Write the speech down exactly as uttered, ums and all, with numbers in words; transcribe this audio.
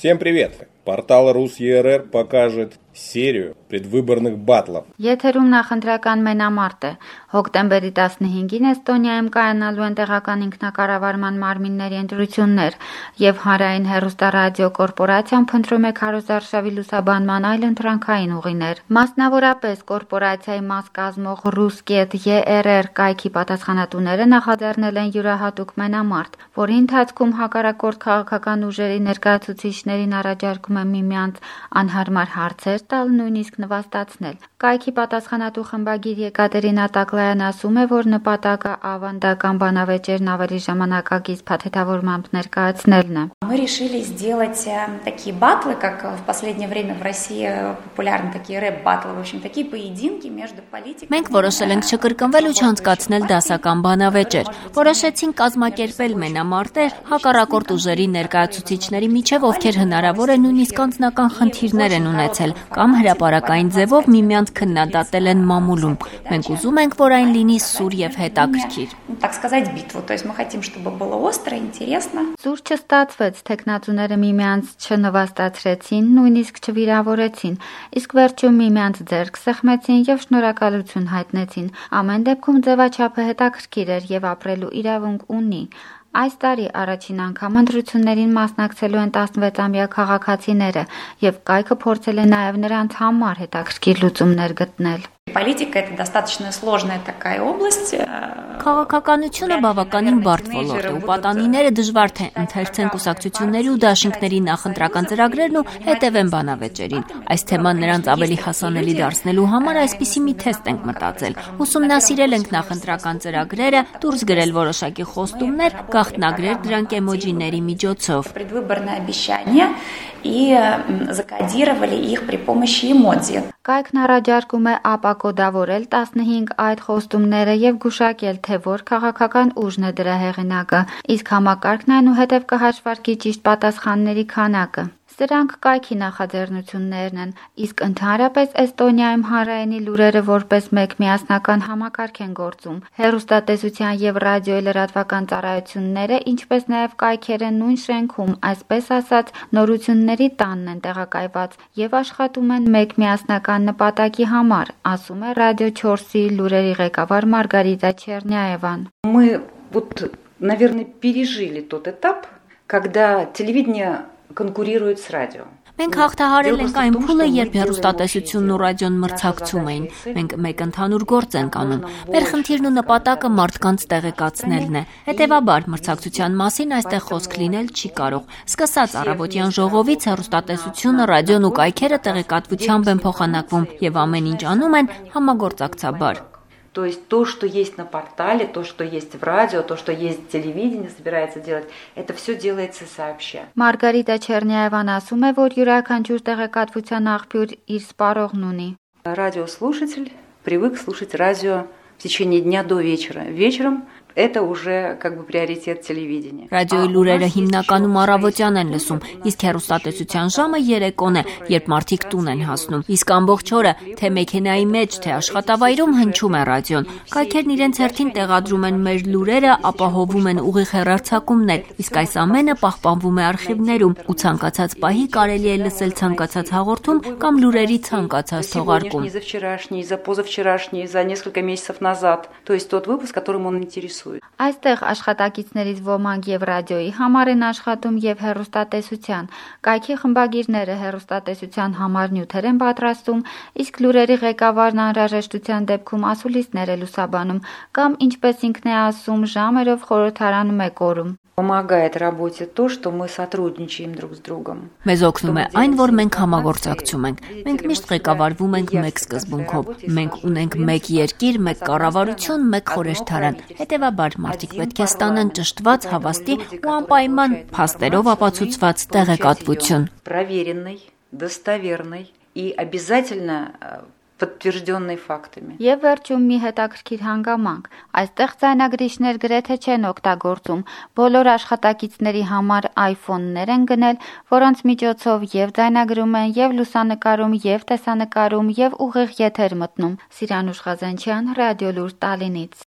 Всем привет! Портал Рус.ЕРР покажет серию предвыборных батлов. Եթերում նախընտրական մենամարտ է։ Հոկտեմբերի տասնհինգին Էստոնիայում կայանալու են տեղական ինքնակառավարման մարմինների ընտրություններ, եւ Հանրային հեռուստարադիո կորպորացիան փնտրում է քարոզարշավի լուսաբանման այլ ընտրանքային ուղիներ։ Մասնավորապես կորպորացիայի մաս կազմող Rus.ԵΡР կայքի պատասխանատուները նախաձեռնել են յուրահատուկ մենամարտ, որի ընթացքում հակառակորդ քաղաքական ուժերի ներկայացուցիչներին առաջարկում է միմյանց անհարմար հարցեր տալ, նույնիսկ նվաստացնել։ Կայքի պատասխանատու խմբագիր Եկատերինա Տակլայան ասում է, որ նպատակը ավանդական բանավեճերն ավելի ժամանակակից փաթեթավորմամբ ներկայացնելն է։ Мы решили сделать такие батлы, как в последнее время в России популярны такие рэп-батлы, в общем, такие поединки между политиками. Մենք որոշել ենք չկրկնվել ու չանցկացնել դասական բանավեճեր։ Որոշեցինք կազմակերպել մենամարտեր հակառակորդ ուժերի ներկայացուցիչների միջև, ովքեր հնարավոր է նույնիսկ անձնական խնդիրներ են ունեցել կամ հրապարակային ձևով միմյանց քննադատել են մամուլում։ Մենք ուզում ենք, որ այն լինի սուր եւ հետաքրքիր։ Так сказать, битву. То есть мы хотим, чтобы было остро, интересно. Սուր չստացվեց, թեկնածուները միմյանց չնվաստացրեցին, նույնիսկ չվիրավորեցին, իսկ վերջում միմյանց ձեռք սեղմեցին եւ շնորհակալություն հայտնեցին։ Ամեն դեպքում ձևաչափը հետաքրքիր էր եւ ապրելու իրավունք ունի։ Այս տարի առաջին անգամ ընտրություններին մասնակցելու են տասնվեցամյա քաղաքացիները եւ կայքը փորձել է նաեւ նրանց համար հետաքրքիր լուծումներ գտնել։ Политика это достаточно сложная такая область. Քաղաքականությունը բավականին բարդ ոլորտ է, ու պատանիները դժվար թե ընթերցեն կուսակցությունների ու դաշինքների նախընտրական ծրագրերն ու հետևեն բանավեճերին։ Այս թեման նրանց ավելի հասանելի դարձնելու համար այսպիսի մի թեստ ենք մտածել։ Ուսումնասիրել ենք նախընտրական ծրագրերը, դուրս գրել որոշակի խոստումներ, գաղտնագրել դրանք էմոջիների միջոցով։ Предвыборные обещания и закодировали их при помощи эмодзи. Կայքն առաջարկում է ապակոդավորել տասնհինգ այդ խոստումները եւ գուշակել, թե որ քաղաքական ուժն է դրա հեղինակը, իսկ համակարգն այնուհետև կհաշվարկի ճիշտ պատասխանների քանակը։ Սրանք կայքի նախաձեռնություններն են, իսկ ընդհանրապես Էստոնիայում հանրայինի լուրերը որպես մեկ միասնական համակարգ են գործում։ Հեռուստատեսության եւ ռադիոյի լրատվական ծառայությունները, ինչպես նաեւ կայքերը նույն շենքում, այսպես ասած, նորությունների տանն են տեղակայված եւ աշխատում են մեկ միասնական նպատակի համար, ասում է Ռադիո չորսի լուրերի ղեկավար Մարգարիտա Չեռնյաևան։ Мы вот, наверное, пережили тот этап, когда телевидение конкурирует с радио. Մենք հաղթահարել ենք այն փուլը, երբ հեռուստատեսությունն ու ռադիոն մրցակցում էին։ Մենք մեկ ընդհանուր գործ ենք անում։ Մեր խնդիրն ու նպատակը մարդկանց տեղեկացնելն է։ Հետևաբար, մրցակցության մասին այստեղ խոսք լինել չի կարող։ Սկսած առավոտյան ժողովից հեռուստատեսությունը, ռադիոն ու կայքերը տեղեկատվությամբ են փոխանակվում եւ ամեն ինչ անում են համագործակցաբար։ То есть то, что есть на портале, то, что есть в радио, то, что есть в телевидении, собирается делать, это все делается сообща. Մարգարիտա Չեռնյաևան ասում է, որ յուրաքանչյուր տեղեկատվության աղբյուր իր սպառողն ունի։ Радиослушатель привык слушать радио в течение дня до вечера. Вечером это уже как бы приоритет телевидения. Ռադիոյի լուրերը հիմնականում առավոտյան են լսում, իսկ հեռուստատեսության ժամը երեկոն է, երբ մարդիկ տուն են հասնում։ Իսկ ամբողջ օրը թե մեքենայի մեջ, թե աշխատավայրում հնչում է ռադիոն։ Կայքերն իրենց հերթին տեղադրում են մեր լուրերը, ապահովում են ուղիղ հեռարձակումներ, իսկ այս ամենը պահպանվում է արխիվներում, ու ցանկացած պահի կարելի է լսել ցանկացած հաղորդում կամ լուրերի ցանկացած թողարկում։ За вчерашний, за позавчерашний, за несколько месяцев назад. То есть тот выпуск, которым он интересует. Այստեղ աշխատակիցներից ոմանք եւ ռադիոյի համար են աշխատում եւ հեռուստատեսության։ Կայքի խմբագիրները հեռուստատեսության համար նյութեր են պատրաստում, իսկ լուրերի ղեկավարն անհրաժեշտության դեպքում ասուլիսներ է լուսաբանում կամ, ինչպես ինքն է ասում, ժամերով խորհրդարանում է կորում։ Помогает работе то, что мы сотрудничаем друг с другом. Մեզ օգնում է այն, որ մենք համագործակցում ենք։ Մենք միշտ ղեկավարվում ենք մեկ սկզբունքով։ Մենք ունենք մեկ երկիր, մեկ կառավարություն, մեկ խորհրդարան։ Հետևաբար մարդիկ պետք է ստանան ճշտված, հավաստի ու անպայման փաստերով ապացուցված տեղեկատվություն։ Проверенный, достоверный и обязательно подтвержденный фактами. Եվ վերջում մի հետաքրքիր հանգամանք։ Այստեղ ձայնագրիչներ գրեթե չեն օգտագործում։ Բոլոր աշխատակիցների համար iPhone-ներ են գնել, որոնց միջոցով եւ ձայնագրում են, եւ լուսանկարում, եւ տեսանկարում, եւ ուղիղ եթեր մտնում։ Սիրանուշ Ղազանչյան, Ռադիոլուր Տալինից։